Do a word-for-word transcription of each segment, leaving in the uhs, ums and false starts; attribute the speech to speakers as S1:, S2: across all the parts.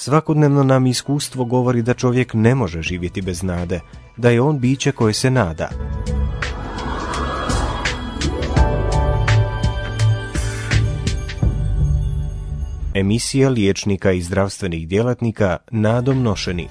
S1: Svakodnevno nam iskustvo govori da čovjek ne može živjeti bez nade, da je on biće koje se nada. Emisija liječnika i zdravstvenih djelatnika Nadom nošeni.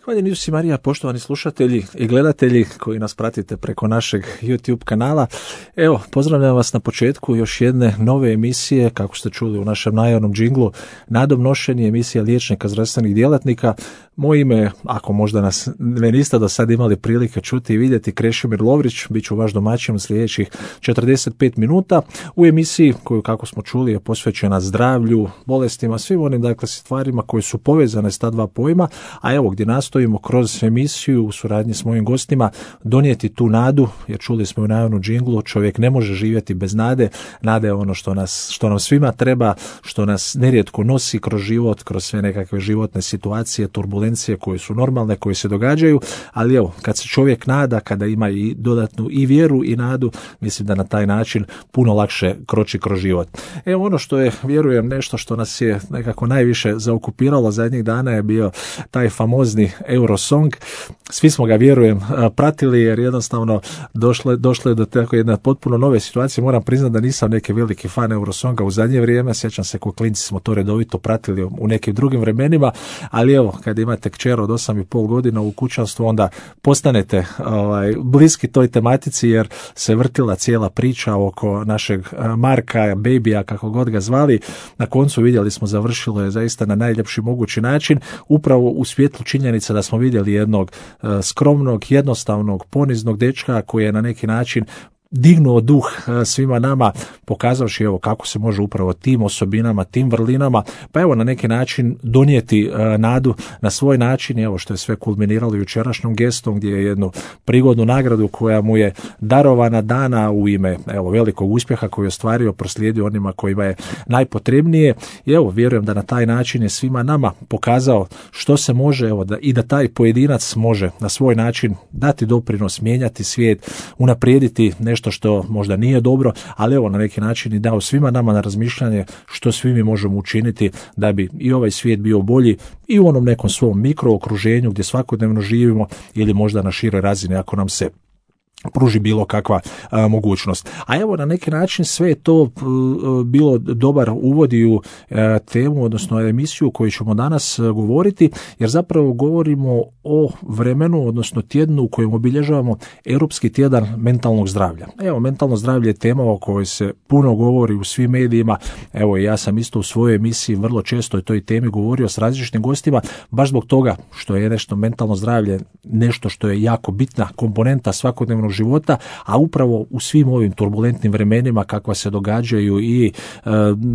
S2: Hvala Isus i Marija, poštovani slušatelji i gledatelji koji nas pratite preko našeg YouTube kanala. Evo, pozdravljam vas na početku još jedne nove emisije, kako ste čuli u našem najavnom džinglu, Nadom nošeni, emisija liječnika zdravstvenih djelatnika. Moje ime, ako možda nas ne niste do sad imali prilike čuti i vidjeti, Krešimir Lovrić, bit ću vaš domaćin u sljedećih četrdeset pet minuta u emisiji koju, kako smo čuli, je posvećena zdravlju, bolestima, svim onim dakle stvarima koje su povezane s ta dva pojma, a evo gdje nastojimo kroz emisiju u suradnji s mojim gostima donijeti tu nadu, jer čuli smo u najavnu džinglu, čovjek ne može živjeti bez nade. Nada je ono što nas, što nam svima treba, što nas nerijetko nosi kroz život, kroz sve nekakve životne situacije, turbulencije koje su normalne, koje se događaju, ali evo, kad se čovjek nada, kada ima i dodatnu i vjeru i nadu, mislim da na taj način puno lakše kroči kroz život. Evo, ono što je, vjerujem, nešto što nas je nekako najviše zaokupiralo zadnjih dana je bio taj famozni Eurosong. Svi smo ga, vjerujem, pratili jer jednostavno došlo, došlo je do tako jedne potpuno nove situacije. Moram priznati da nisam neki veliki fan Eurosonga u zadnje vrijeme, sjećam se ko klinci smo to redovito pratili u nekim drugim vremenima, ali evo, kad imate kćer od osam i pol godina u kućanstvu, onda postanete ovaj, bliski toj tematici jer se vrtila cijela priča oko našeg Marka, Babya, kako god ga zvali. Na koncu vidjeli smo, završilo je zaista na najljepši mogući način, upravo u svjetlu činjenica da smo vidjeli jednog uh, skromnog, jednostavnog, poniznog dečka koji je na neki način dignuo duh svima nama, pokazavši evo kako se može upravo tim osobinama, tim vrlinama, pa evo na neki način donijeti uh, nadu na svoj način. Evo što je sve kulminiralo jučerašnjom gestom gdje je jednu prigodnu nagradu koja mu je darovana, dana u ime evo velikog uspjeha koji je ostvario, proslijedio onima kojima je najpotrebnije. I evo, vjerujem da na taj način je svima nama pokazao što se može, evo da i da taj pojedinac može na svoj način dati doprinos, mijenjati svijet, unaprijediti nešto što možda nije dobro, ali evo na neki način i dao svima nama na razmišljanje što svi mi možemo učiniti da bi i ovaj svijet bio bolji i u onom nekom svom mikrookruženju gdje svakodnevno živimo ili možda na široj razini ako nam se pruži bilo kakva a, mogućnost. A evo na neki način sve je to a, bilo dobar uvod u a, temu, odnosno emisiju koju ćemo danas a, govoriti, jer zapravo govorimo o vremenu, odnosno tjednu u kojem obilježavamo Europski tjedan mentalnog zdravlja. Evo, mentalno zdravlje je tema o kojoj se puno govori u svim medijima. Evo, ja sam isto u svojoj emisiji vrlo često o toj temi govorio s različitim gostima, baš zbog toga što je nešto mentalno zdravlje nešto što je jako bitna komponenta svakodnevnog života, a upravo u svim ovim turbulentnim vremenima kakva se događaju i e,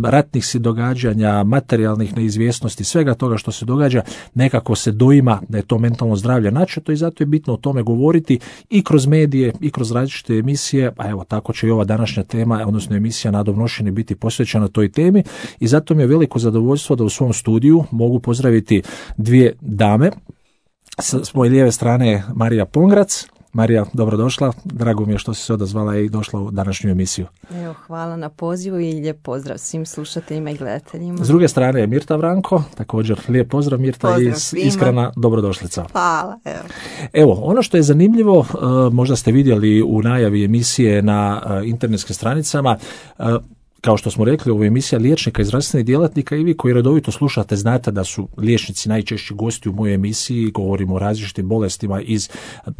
S2: ratnih si događanja, materijalnih neizvjesnosti, svega toga što se događa, nekako se doima da je to mentalno zdravlje načeto i zato je bitno o tome govoriti i kroz medije i kroz različite emisije, a evo tako će i ova današnja tema, odnosno emisija Nadom nošeni biti posvećena toj temi i zato mi je veliko zadovoljstvo da u svom studiju mogu pozdraviti dvije dame. S moje lijeve strane je Marija Pongrac. Marija, dobrodošla. Drago mi je što si se odazvala i došla u današnju emisiju.
S3: Evo, hvala na pozivu i lijep pozdrav svim slušateljima i gledateljima.
S2: S druge strane je Mirta Vranko, također lijep pozdrav Mirta
S3: pozdrav
S2: i
S3: svima.
S2: Iskrena dobrodošlica.
S3: Hvala. Evo.
S2: Evo, ono što je zanimljivo, možda ste vidjeli u najavi emisije na internetskim stranicama, kao što smo rekli, ovo je emisija liječnika i zdravstvenih djelatnika i vi koji redovito slušate znate da su liječnici najčešći gosti u mojoj emisiji, govorimo o različitim bolestima iz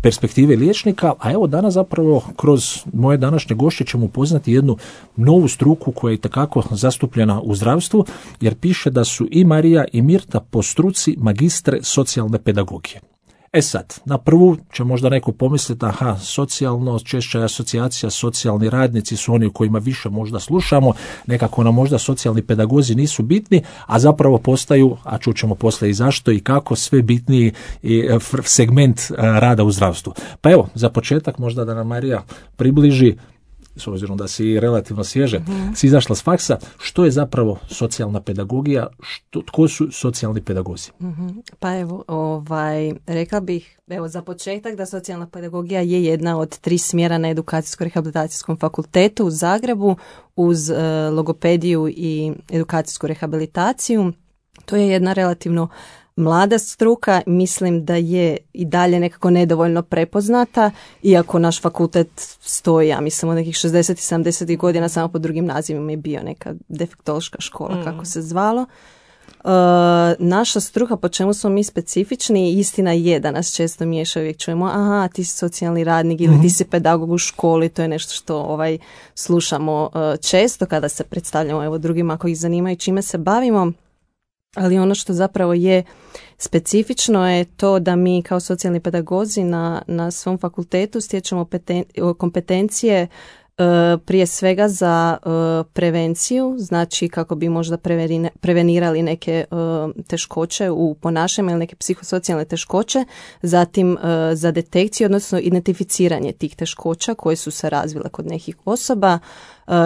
S2: perspektive liječnika, a evo danas zapravo kroz moje današnje gošće ćemo upoznati jednu novu struku koja je itekako zastupljena u zdravstvu, jer piše da su i Marija i Mirta po struci magistre socijalne pedagogije. E sad, na prvu će možda neko pomisliti, aha, socijalno, češća je asocijacija, socijalni radnici su oni u kojima više možda slušamo, nekako nam možda socijalni pedagozi nisu bitni, a zapravo postaju, a čućemo poslije i zašto i kako, sve bitniji segment rada u zdravstvu. Pa evo, za početak možda da nam Marija približi s obzirom da si relativno svježe, mm-hmm. si izašla s faksa, što je zapravo socijalna pedagogija, što, tko su socijalni pedagozi?
S3: Mm-hmm. Pa evo, ovaj, rekla bih, evo za početak da socijalna pedagogija je jedna od tri smjera na edukacijsko-rehabilitacijskom fakultetu u Zagrebu uz e, logopediju i edukacijsku rehabilitaciju. To je jedna relativno mlada struka, mislim da je i dalje nekako nedovoljno prepoznata, iako naš fakultet stoji, ja mislim, od nekih šezdesetih i sedamdesetih godina, samo pod drugim nazivima je bio neka defektološka škola, mm. kako se zvalo. Uh, naša struka, po čemu smo mi specifični, istina je da nas često miješa, uvijek čujemo, aha, ti si socijalni radnik ili mm. ti si pedagog u školi, to je nešto što ovaj, slušamo uh, često kada se predstavljamo evo, drugima ako ih zanimaju čime se bavimo. Ali ono što zapravo je specifično je to da mi kao socijalni pedagozi na, na svom fakultetu stječemo peten, kompetencije e, prije svega za e, prevenciju, znači kako bi možda preverine, prevenirali neke e, teškoće u ponašanju ili neke psihosocijalne teškoće, zatim e, za detekciju, odnosno identificiranje tih teškoća koje su se razvile kod nekih osoba.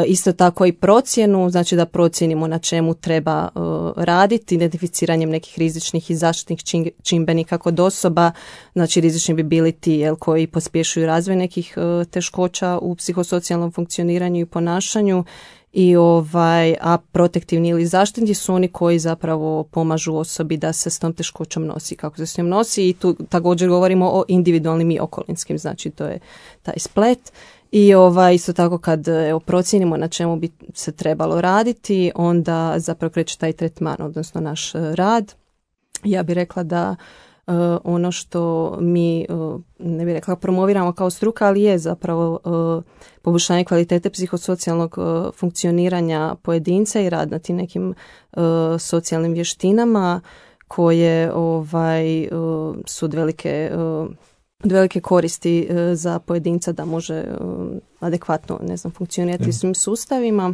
S3: Isto tako i procjenu, znači da procijenimo na čemu treba uh, raditi, identificiranjem nekih rizičnih i zaštitnih čimbenika kod osoba, znači rizični bi bili ti jel, koji pospješuju razvoj nekih uh, teškoća u psihosocijalnom funkcioniranju i ponašanju, i ovaj, a protektivni ili zaštitni su oni koji zapravo pomažu osobi da se s tom teškoćom nosi, kako se s njom nosi, i tu također govorimo o individualnim i okolinskim, znači to je taj splet. I ovaj, isto tako kad evo, procijenimo na čemu bi se trebalo raditi, onda zapravo kreće taj tretman, odnosno naš rad. Ja bih rekla da uh, ono što mi, uh, ne bih rekla promoviramo kao struka, ali je zapravo uh, poboljšanje kvalitete psihosocijalnog uh, funkcioniranja pojedinca i rad na tim nekim uh, socijalnim vještinama koje ovaj, uh, su od velike... Uh, od velike koristi e, za pojedinca da može e, adekvatno, ne znam, funkcionirati u svim sustavima.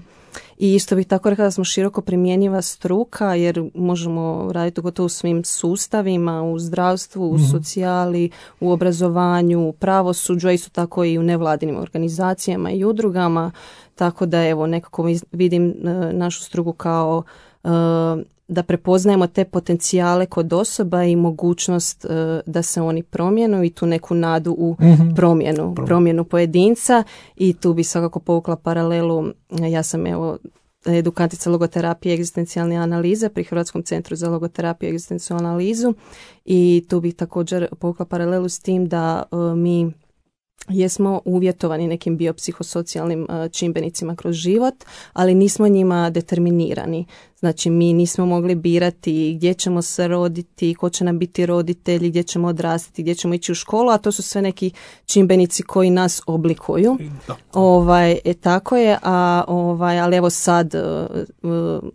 S3: I isto bih tako rekla da smo široko primjenjiva struka, jer možemo raditi gotovo u svim sustavima, u zdravstvu, u mm-hmm. socijali, u obrazovanju, u pravosuđu, a isto tako i u nevladinim organizacijama i udrugama. Tako da evo nekako vidim e, našu struku kao e, da prepoznajemo te potencijale kod osoba i mogućnost uh, da se oni promijenu i tu neku nadu u mm-hmm. promjenu, promjenu pojedinca, i tu bi svakako povukla paralelu. Ja sam evo edukatica logoterapije i egzistencijalne analize pri Hrvatskom centru za logoterapiju i egzistencijalnu analizu, i tu bih također povukla paralelu s tim da uh, mi jesmo uvjetovani nekim biopsihosocijalnim uh, čimbenicima kroz život, ali nismo njima determinirani. Znači mi nismo mogli birati gdje ćemo se roditi, ko će nam biti roditelji, gdje ćemo odrastati, gdje ćemo ići u školu, a to su sve neki čimbenici koji nas oblikuju. Da. Ovaj, e, tako je, a, ovaj, ali evo sad, uh,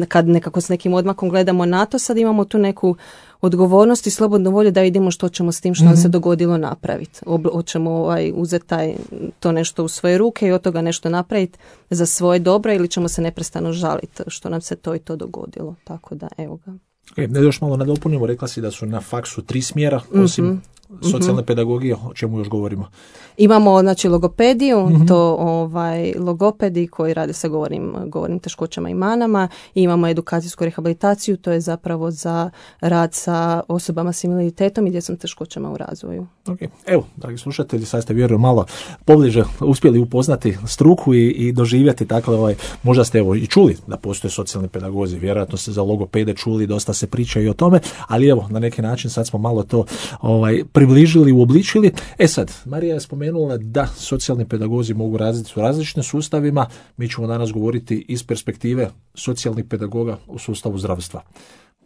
S3: kad nekako s nekim odmakom gledamo na to, sad imamo tu neku odgovornost i slobodnu volju da vidimo što ćemo s tim što mm-hmm. nam se dogodilo napraviti. Hoćemo ovaj, uzeti taj, to nešto u svoje ruke i od toga nešto napraviti za svoje dobro, ili ćemo se neprestano žaliti što nam se to i to dogodilo. Tako da, evo ga.
S2: E, ne još malo nadopunimo, rekla si da su na faksu tri smjera, osim mm-hmm. socijalne mm-hmm. pedagogije, o čemu još govorimo? Imamo,
S3: znači, logopediju, mm-hmm. to ovaj, logopedi koji rade sa govornim, govornim teškoćama i manama, i imamo edukacijsku rehabilitaciju, to je zapravo za rad sa osobama s invaliditetom i djecom teškoćama u razvoju.
S2: Okay. Evo, dragi slušatelji, sad ste vjerujem malo pobliže uspjeli upoznati struku i, i doživjeti, dakle, ovaj, možda ste evo i čuli da postoje socijalni pedagozi, vjerojatno ste za logopede čuli, dosta se priča i o tome, ali evo, na neki način sad smo malo to ovaj, približili, uobličili. E sad, Marija je spomenula da socijalni pedagozi mogu raditi u različitim sustavima. Mi ćemo danas govoriti iz perspektive socijalnih pedagoga u sustavu zdravstva.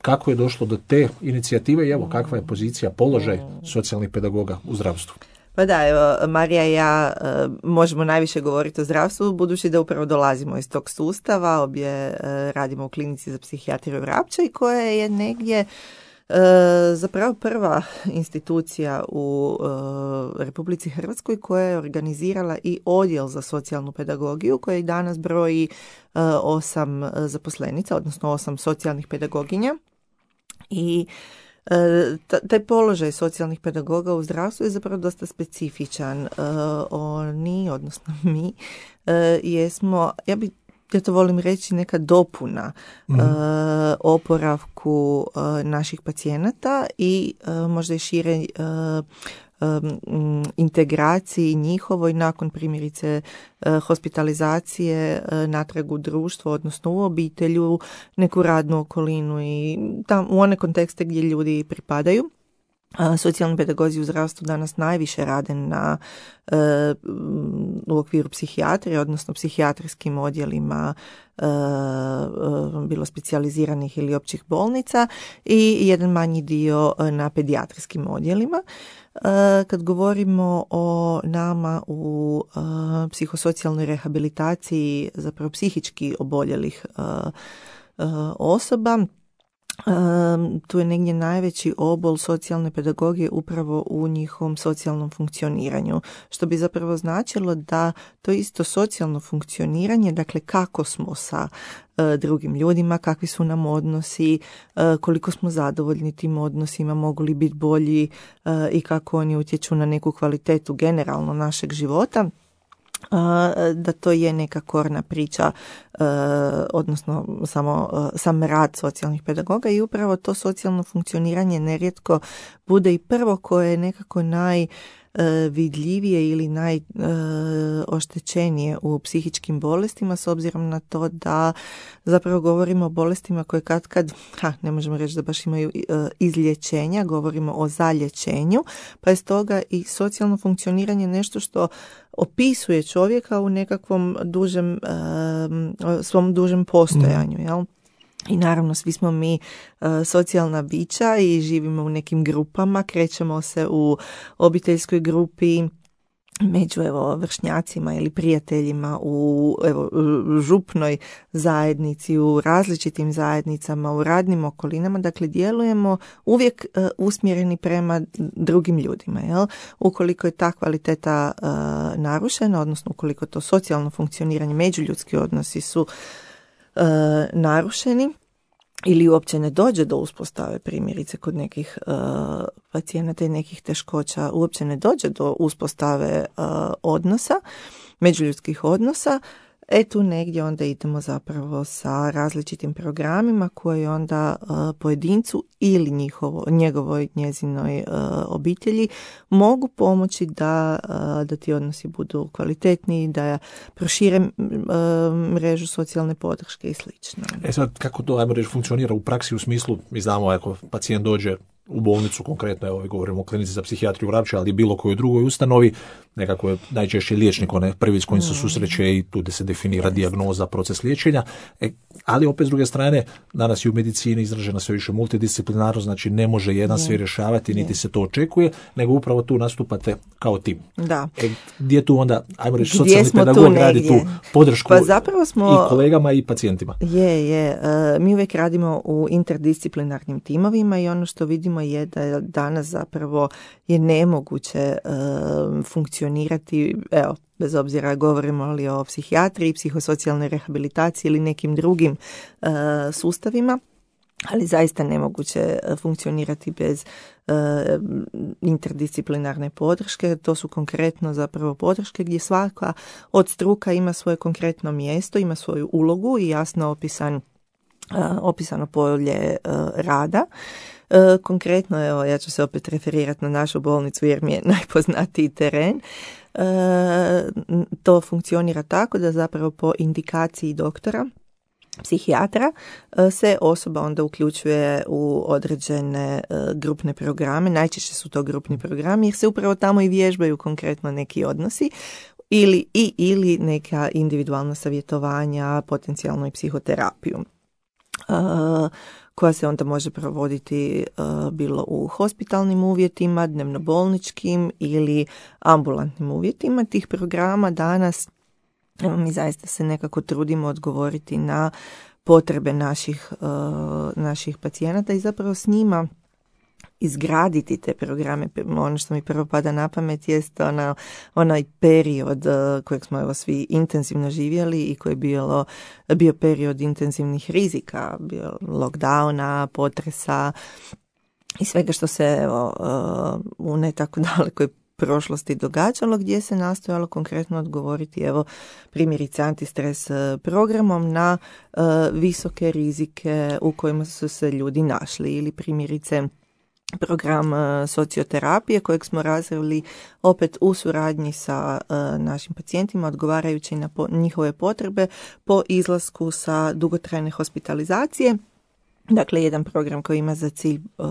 S2: Kako je došlo do te inicijative i evo kakva je pozicija, položaj socijalnih pedagoga u zdravstvu?
S4: Pa da, evo, Marija i ja e, možemo najviše govoriti o zdravstvu, budući da upravo dolazimo iz tog sustava, obje e, radimo u klinici za psihijatriju Vrapče, i koja je negdje E, zapravo prva institucija u e, Republici Hrvatskoj koja je organizirala i odjel za socijalnu pedagogiju, koji danas broji e, osam zaposlenica, odnosno osam socijalnih pedagoginja. I taj položaj socijalnih pedagoga u zdravstvu je zapravo dosta specifičan. Oni, odnosno mi, jesmo, ja bi ja to volim reći, neka dopuna mm-hmm. uh, oporavku uh, naših pacijenata i uh, možda i šire uh, um, integraciji njihovoj nakon primjerice uh, hospitalizacije uh, natrag u društvo, odnosno u obitelju, neku radnu okolinu i tam, u one kontekste gdje ljudi pripadaju. Socijalni pedagozi u zdravstvu danas najviše rade na, e, u okviru psihijatrije, odnosno psihijatrijskim odjelima e, bilo specijaliziranih ili općih bolnica i jedan manji dio na pedijatrijskim odjelima. E, kad govorimo o nama u e, psihosocijalnoj rehabilitaciji zapravo psihički oboljelih e, e, osoba, Um, tu je negdje najveći obol socijalne pedagogije upravo u njihovom socijalnom funkcioniranju, što bi zapravo značilo da to isto socijalno funkcioniranje, dakle kako smo sa uh, drugim ljudima, kakvi su nam odnosi, uh, koliko smo zadovoljni tim odnosima, mogu li biti bolji uh, i kako oni utječu na neku kvalitetu generalno našeg života, da to je neka korna priča, odnosno samo sam rad socijalnih pedagoga i upravo to socijalno funkcioniranje nerijetko bude i prvo koje je nekako naj vidljivije ili najoštećenije u psihičkim bolestima, s obzirom na to da zapravo govorimo o bolestima koje kad kad, ha, ne možemo reći da baš imaju izlječenja, govorimo o zalječenju, pa je stoga i socijalno funkcioniranje nešto što opisuje čovjeka u nekakvom dužem, svom dužem postojanju, jel? I naravno svi smo mi uh, socijalna bića i živimo u nekim grupama, krećemo se u obiteljskoj grupi, među evo vršnjacima ili prijateljima, u evo župnoj zajednici, u različitim zajednicama, u radnim okolinama, dakle djelujemo uvijek uh, usmjereni prema drugim ljudima, jel? Ukoliko je ta kvaliteta uh, narušena, odnosno ukoliko to socijalno funkcioniranje, međuljudski odnosi su Uh, narušeni ili uopće ne dođe do uspostave, primjerice kod nekih uh, pacijenata i nekih teškoća, uopće ne dođe do uspostave uh, odnosa, međuljudskih odnosa, e tu negdje onda idemo zapravo sa različitim programima koji onda uh, pojedincu ili njihovo, njegovoj, njezinoj uh, obitelji mogu pomoći da, uh, da ti odnosi budu kvalitetniji, da prošire uh, mrežu socijalne podrške i slično.
S2: E sad, kako to, ajmo reći, funkcionira u praksi u smislu, mi znamo, ako pacijent dođe u bolnicu, konkretno, evo govorimo o klinici za psihijatriju u Vrapče, ali bilo kojoj drugoj ustanovi, nekako je najčešće liječnik onaj prvi s kojim se susreće i tu da se definira dijagnoza, proces liječenja. E, ali opet s druge strane, danas je u medicini izražena sve više multidisciplinarno, znači ne može jedan sve rješavati, niti se to očekuje, nego upravo tu nastupate kao tim.
S4: Da.
S2: E, gdje tu onda, ajmo reći, socijalni pedagog radi tu podršku
S4: pa zapravo smo,
S2: i kolegama i pacijentima?
S4: Je, je. Uh, mi uvijek radimo u interdisciplinarnim timovima i ono što vidimo je da danas zapravo je nemoguće uh, funkcionirati, evo, bez obzira govorimo li o psihijatriji, psihosocijalnoj rehabilitaciji ili nekim drugim uh, sustavima, ali zaista nemoguće funkcionirati bez uh, interdisciplinarne podrške. To su konkretno zapravo podrške gdje svaka od struka ima svoje konkretno mjesto, ima svoju ulogu i jasno opisan, uh, opisano polje uh, rada. Uh, konkretno, evo, ja ću se opet referirati na našu bolnicu jer mi je najpoznatiji teren. Uh, to funkcionira tako da zapravo po indikaciji doktora, psihijatra, se osoba onda uključuje u određene grupne programe. Najčešće su to grupni programi jer se upravo tamo i vježbaju konkretno neki odnosi ili, i, ili neka individualna savjetovanja, potencijalno i psihoterapiju. Uh, koja se onda može provoditi uh, bilo u hospitalnim uvjetima, dnevnobolničkim ili ambulantnim uvjetima. Tih programa danas mi zaista se nekako trudimo odgovoriti na potrebe naših, uh, naših pacijenata i zapravo s njima izgraditi te programe. Ono što mi prvo pada na pamet jest ona, onaj period uh, kojeg smo evo svi intenzivno živjeli i koji je bilo, bio period intenzivnih rizika, bio lockdowna, potresa, i svega što se evo, u ne tako dalekoj prošlosti događalo, gdje se nastojalo konkretno odgovoriti, evo primjerice antistres programom na uh, visoke rizike u kojima su se ljudi našli, ili primjerice program uh, socioterapije kojeg smo razvili opet u suradnji sa uh, našim pacijentima, odgovarajući na po, njihove potrebe po izlasku sa dugotrajne hospitalizacije. Dakle, jedan program koji ima za cilj uh,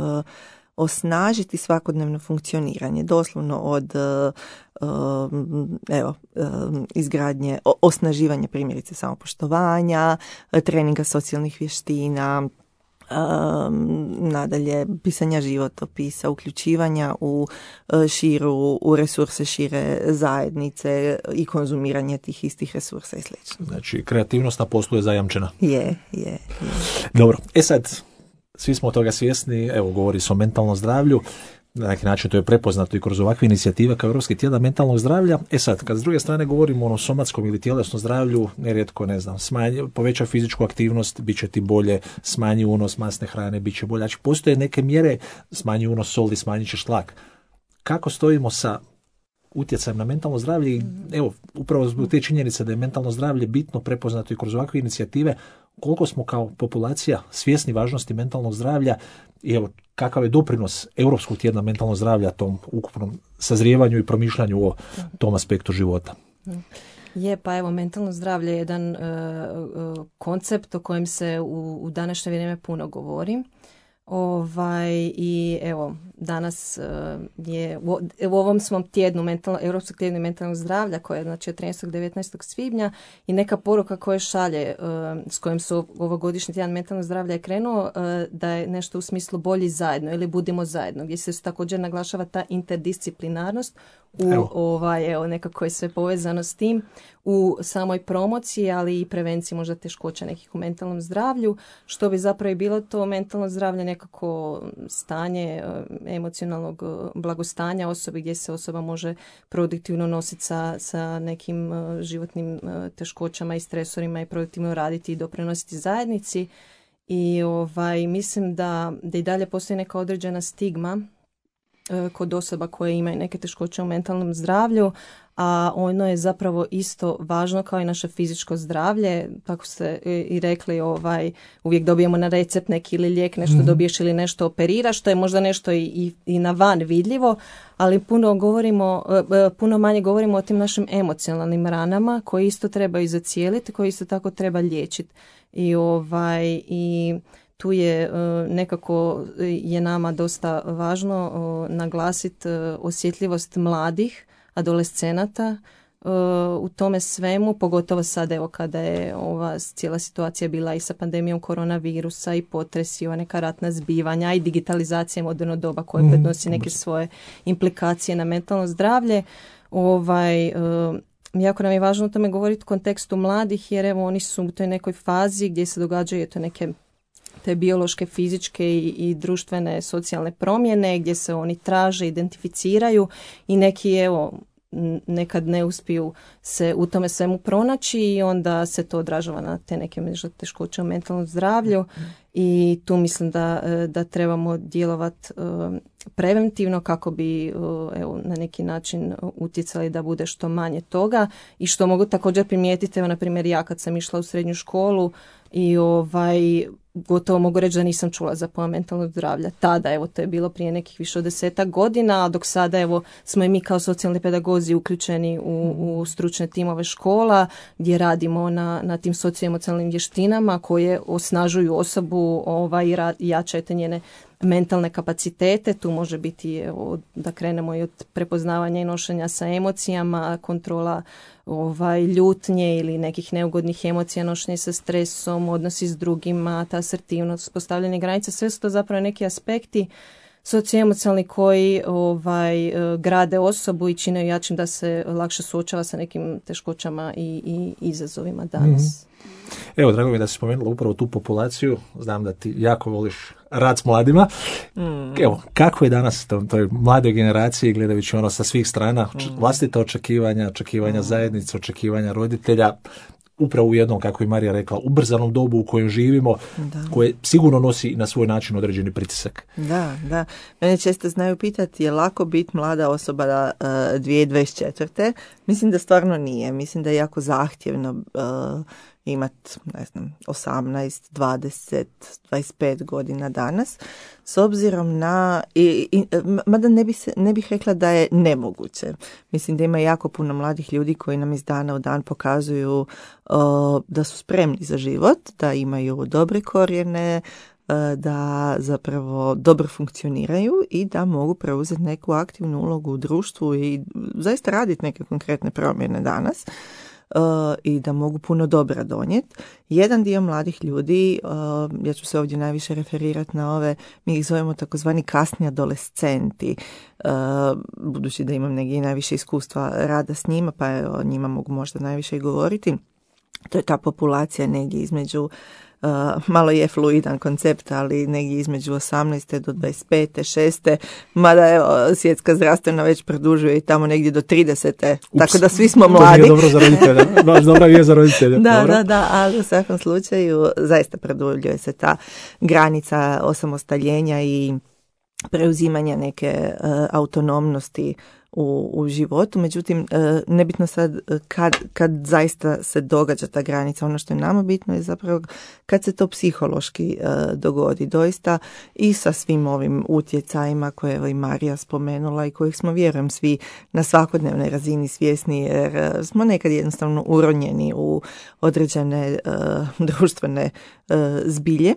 S4: osnažiti svakodnevno funkcioniranje, doslovno od uh, evo, uh, izgradnje, osnaživanja primjerice samopoštovanja, treninga socijalnih vještina, um, nadalje pisanja životopisa, uključivanja u uh, širu, u resurse šire zajednice i konzumiranje tih istih resursa i sl.
S2: Znači, kreativnost na poslu je zajamčena.
S4: Je, je, je.
S2: Dobro, e sad, svi smo toga svjesni, evo govori se o mentalnom zdravlju, na neki način to je prepoznato i kroz ovakve inicijative kao Europski tjedan mentalnog zdravlja. E sad, kad s druge strane govorimo o somatskom ili tjelesnom zdravlju, nerijetko, ne znam, smanji, poveća fizičku aktivnost, bit će ti bolje, smanji unos masne hrane, bit će bolje. Znači, postoje neke mjere, smanji unos soli, smanjit ćeš tlak. Kako stojimo sa utjecajem na mentalno zdravlje? I evo, upravo zbog te činjenice da je mentalno zdravlje bitno prepoznato i kroz ovakve inicijative, koliko smo kao populacija svjesni važnosti mentalnog zdravlja i evo kakav je doprinos Europskog tjedna mentalnog zdravlja tom ukupnom sazrijevanju i promišljanju o tom aspektu života.
S3: Je, pa evo, mentalno zdravlje je jedan uh, uh, koncept o kojem se u, u današnje vrijeme puno govori. Ovaj, i evo, danas uh, je u, u ovom svom tjednu, mentalno, Europskog tjednu mentalnog zdravlja, koje je znači od trinaestog do devetnaestog svibnja, i neka poruka koja šalje, uh, s kojim su ovogodišnji tjedan mentalnog zdravlja je krenuo, uh, da je nešto u smislu bolji zajedno ili budimo zajedno, gdje se također naglašava ta interdisciplinarnost u evo. ovaj, evo, nekako je sve povezano s tim u samoj promociji, ali i prevenciji možda teškoća nekih u mentalnom zdravlju, što bi zapravo i bilo to mentalno zdravlje nekako stanje emocionalnog blagostanja osobe, gdje se osoba može produktivno nositi sa, sa nekim životnim teškoćama i stresorima i produktivno raditi i doprinositi zajednici. I ovaj, mislim da, da i dalje postoji neka određena stigma kod osoba koje imaju neke teškoće u mentalnom zdravlju, a ono je zapravo isto važno kao i naše fizičko zdravlje. Tako ste i rekli, ovaj, uvijek dobijemo na recept neki ili lijek, nešto mm-hmm. dobiješ ili nešto operiraš, što je možda nešto i, i, i na van vidljivo, ali puno govorimo, puno manje govorimo o tim našim emocionalnim ranama koje isto trebaju zacijeliti, koje isto tako treba liječiti. I ovaj, i tu je nekako je nama dosta važno naglasiti osjetljivost mladih adolescenata u tome svemu, pogotovo sad evo kada je ova cijela situacija bila i sa pandemijom koronavirusa i potresi, i ova neka ratna zbivanja i digitalizacija moderno doba koja mm. prednosi neke svoje implikacije na mentalno zdravlje. Ovaj, jako nam je važno o tome govoriti u kontekstu mladih, jer evo oni su u toj nekoj fazi gdje se događaju to neke te biološke, fizičke i, i društvene socijalne promjene gdje se oni traže, identificiraju i neki evo nekad ne uspiju se u tome svemu pronaći i onda se to odražava na te neke teškoće u mentalnom zdravlju i tu mislim da, da trebamo djelovati preventivno kako bi evo, na neki način utjecali da bude što manje toga i što mogu također primijetiti, evo na primjer ja kad sam išla u srednju školu i ovaj gotovo mogu reći da nisam čula za pojam mentalnog zdravlja. Tada, evo, to je bilo prije nekih više od desetak godina, a dok sada, evo, smo i mi kao socijalni pedagozi uključeni u, u stručne timove škola, gdje radimo na, na tim socioemocionalnim vještinama koje osnažuju osobu ovaj, i jačaju te njene mentalne kapacitete. Tu može biti, evo, da krenemo i od prepoznavanja i nošenja sa emocijama, kontrola ovaj, ljutnje ili nekih neugodnih emocija, nošenje sa stresom, odnosi s drugima, ta asertivnost, postavljanje granica, sve su to zapravo neki aspekti socioemocionalni koji ovaj, grade osobu i čine jačim da se lakše suočava sa nekim teškoćama i, i izazovima danas.
S2: Mm-hmm. Evo, drago mi je da si spomenula upravo tu populaciju. Znam da ti jako voliš rad s mladima. Mm. Evo, kako je danas to, toj mladoj generaciji, gledajući ono sa svih strana, mm. vlastita očekivanja, očekivanja mm. zajednice, očekivanja roditelja, upravo u jednom, kako je Marija rekla, ubrzanom dobu u kojem živimo, da. Koje sigurno nosi na svoj način određeni pritisak.
S4: Da, da. Mene često znaju pitati je lako biti mlada osoba da, uh, dvije tisuće dvadeset četvrte. Mislim da stvarno nije. Mislim da je jako zahtjevno uh, imati, ne znam, osamnaest, dvadeset, dvadeset pet godina danas, s obzirom na, i, i, mada ne, bi se, ne bih rekla da je nemoguće. Mislim da ima jako puno mladih ljudi koji nam iz dana u dan pokazuju uh, da su spremni za život, da imaju dobre korijene, uh, da zapravo dobro funkcioniraju i da mogu preuzeti neku aktivnu ulogu u društvu i zaista raditi neke konkretne promjene danas. Uh, i da mogu puno dobra donijeti. Jedan dio mladih ljudi, uh, ja ću se ovdje najviše referirati na ove, mi ih zovemo takozvani kasni adolescenti, uh, budući da imam negdje najviše iskustva rada s njima, pa o njima mogu možda najviše i govoriti. To je ta populacija negdje između, Uh, malo je fluidan koncept, ali negdje između osamnaeste do dvadeset pete, šeste mada evo, svjetska zdravstvena već produžuje i tamo negdje do tridesete Ups, tako da svi smo mladi.
S2: To nije dobro za roditelja, baš dobra je za roditelja.
S4: Da,
S2: dobro.
S4: da, da, ali u svakom slučaju zaista produljuje se ta granica osamostaljenja i preuzimanja neke uh, autonomnosti u, u životu, međutim uh, nebitno sad kad, kad zaista se događa ta granica, ono što je nama bitno je zapravo kad se to psihološki uh, dogodi doista i sa svim ovim utjecajima koje je i Marija spomenula i kojih smo, vjerujem, svi na svakodnevnoj razini svjesni jer uh, smo nekad jednostavno uronjeni u određene uh, društvene uh, zbilje.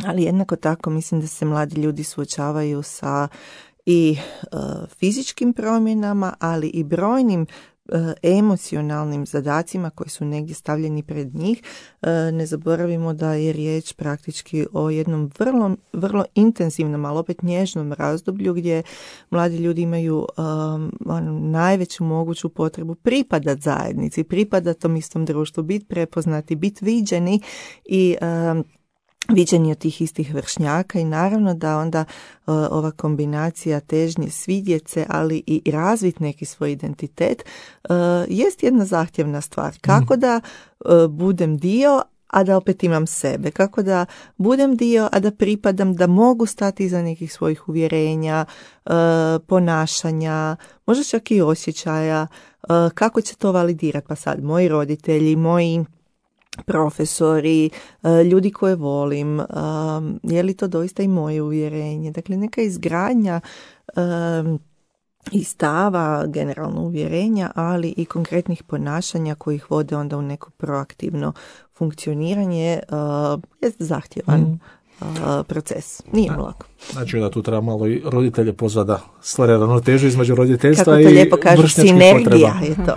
S4: Ali jednako tako mislim da se mladi ljudi suočavaju sa i uh, fizičkim promjenama, ali i brojnim uh, emocionalnim zadacima koji su negdje stavljeni pred njih. Uh, ne zaboravimo da je riječ praktički o jednom vrlo, vrlo intenzivnom, ali opet nježnom razdoblju gdje mladi ljudi imaju um, ono, najveću moguću potrebu pripadati zajednici, pripadati tom istom društvu, biti prepoznati, biti viđeni i um, viđeni od tih istih vršnjaka i naravno da onda uh, ova kombinacija težnje svidjeti se, ali i razviti neki svoj identitet uh, jest jedna zahtjevna stvar. Kako da uh, budem dio, a da opet imam sebe. Kako da budem dio, a da pripadam, da mogu stati iza nekih svojih uvjerenja, uh, ponašanja, možda čak i osjećaja. Uh, kako će to validirati? Pa sad, moji roditelji, moji profesori, ljudi koje volim, je li to doista i moje uvjerenje? Dakle, neka izgradnja i stava, generalno uvjerenja, ali i konkretnih ponašanja koji ih vode onda u neko proaktivno funkcioniranje je zahtjevan mm. proces. Nije mu lako.
S2: Znači da tu treba malo i roditelje pozvati da stvore ravnotežu između roditeljstva
S4: Kako to
S2: i
S4: lijepo kažu, sinergija je to.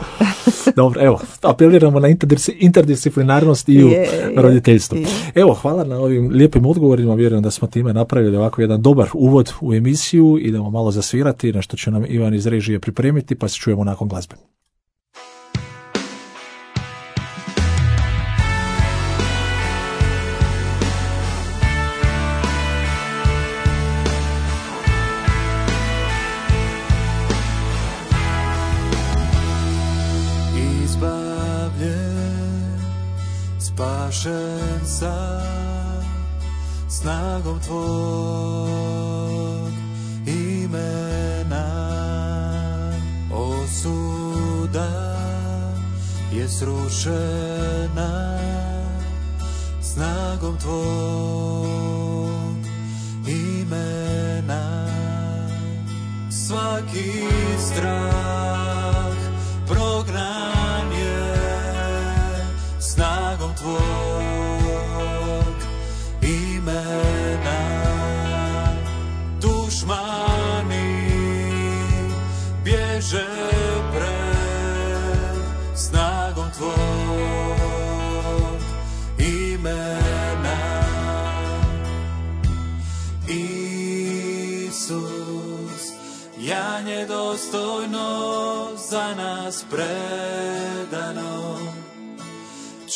S2: Dobro, evo, apeliramo na interdisciplinarnost i u je, roditeljstvu. Je. Evo, hvala na ovim lijepim odgovorima, vjerujem da smo time napravili ovako jedan dobar uvod u emisiju, idemo malo zasvirati, na što će nam Ivan iz režije pripremiti, pa se čujemo nakon glazbe.
S5: Spašen sam snagom tvog imena, osuda je srušena snagom tvog imena. Svaki strah prognan je snagom tvog imena. Dušmani bježe pred snagom tvog imena. Isus, janje dostojno za nas predano,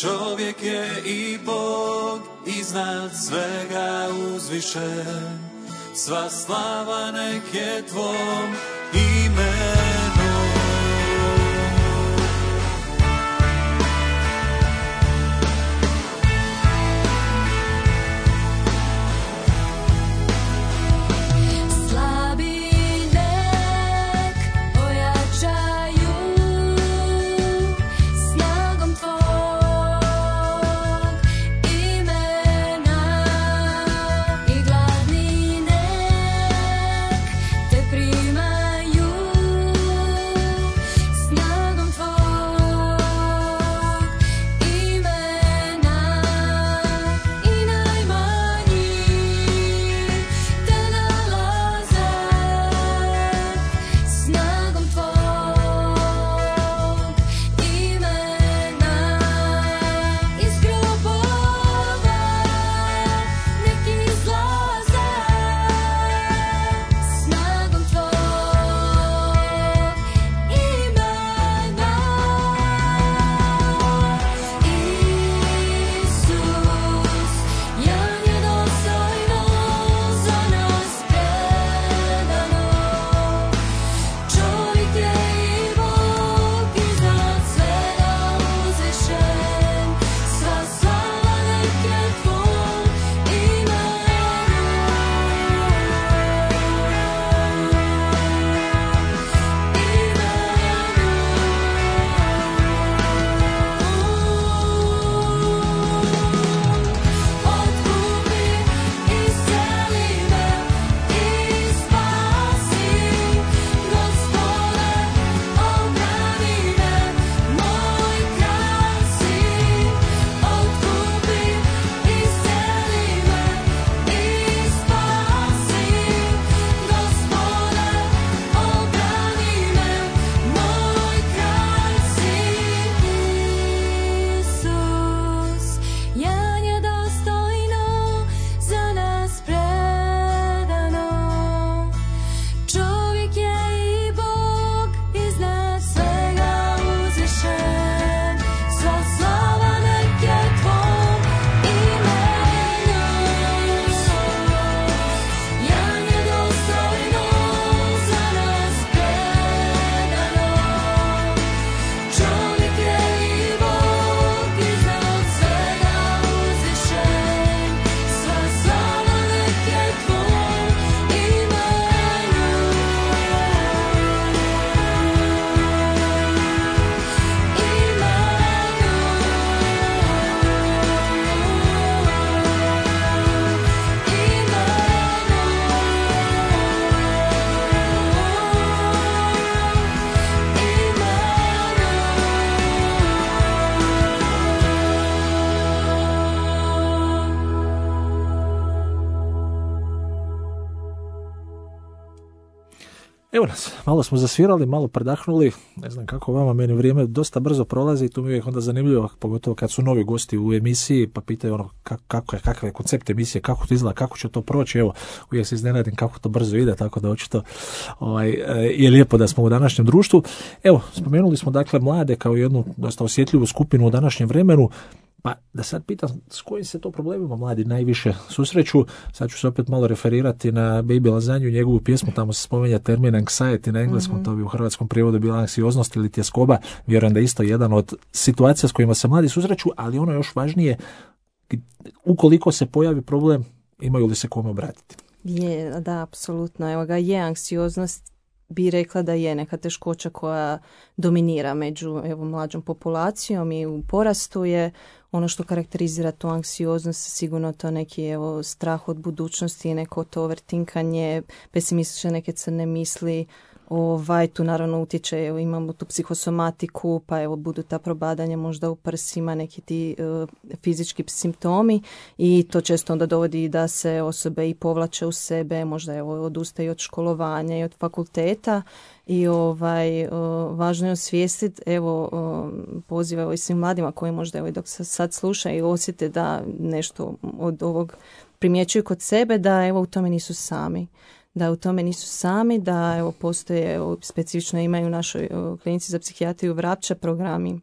S5: čovjek je i Bog, iznad svega uzvišen. Sva slava nek je tvom imenu.
S2: Evo nas, malo smo zasvirali, malo predahnuli, ne znam kako vama, meni vrijeme dosta brzo prolazi i tu mi je onda zanimljivo, pogotovo kad su novi gosti u emisiji, pa pitaju ono kako, kako je, kakav je koncept emisije, kako to izgleda, kako će to proći, evo, uvijek se iznenadim kako to brzo ide, tako da očito ovaj, je lijepo da smo u današnjem društvu. Evo, spomenuli smo dakle mlade kao jednu dosta osjetljivu skupinu u današnjem vremenu. Pa da sad pitam s kojim se to problemima mladi najviše susreću, sad ću se opet malo referirati na Baby Lazanju, njegovu pjesmu, tamo se spomenja termin anxiety na engleskom, mm-hmm. to bi u hrvatskom prijevodu bila anksioznost ili tjeskoba, vjerujem da je isto jedan od situacija s kojima se mladi susreću, ali ono još važnije, ukoliko se pojavi problem, imaju li se kome obratiti?
S3: Je, da, apsolutno, evo ga, je anksioznost, bi rekla da je neka teškoća koja dominira među evo, mlađom populacijom i u porastu je ono što karakterizira tu anksioznost, sigurno to neki evo, strah od budućnosti, neko to overtinkanje, pesimistične neke crne misli. Ovaj, tu naravno utječe, evo, imamo tu psihosomatiku, pa evo budu ta probadanja možda u prsima, neki ti uh, fizički simptomi i to često onda dovodi da se osobe i povlače u sebe, možda evo odustaju od školovanja i od fakulteta i ovaj, uh, važno je osvijestiti, evo uh, poziva evo, i svim mladima koji možda evo, dok se sad slušaju i osjete da nešto od ovog primjećuju kod sebe, da evo u tome nisu sami. Da u tome nisu sami, da evo postoje, evo, specifično imaju u našoj evo, klinici za psihijatriju Vrapča programi